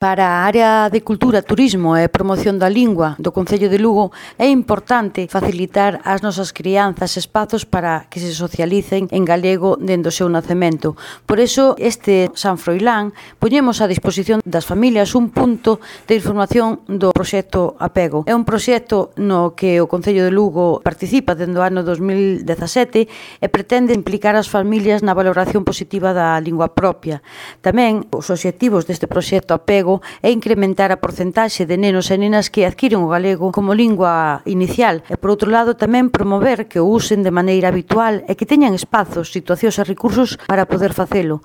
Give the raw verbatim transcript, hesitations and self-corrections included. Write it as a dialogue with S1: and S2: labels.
S1: Para a área de cultura, turismo e promoción da lingua do Concello de Lugo é importante facilitar ás nosas crianzas espazos para que se socialicen en galego dende o seu nacemento. Por iso, este San Froilán poñemos a disposición das familias un punto de información do proxecto Apego. É un proxecto no que o Concello de Lugo participa dende o ano dos mil dezasete e pretende implicar as familias na valoración positiva da lingua propia. Tamén, os obxectivos deste proxecto Apego é incrementar a porcentaxe de nenos e nenas que adquiren o galego como lingua inicial e, por outro lado, tamén promover que o usen de maneira habitual e que teñan espazos, situacións e recursos para poder facelo.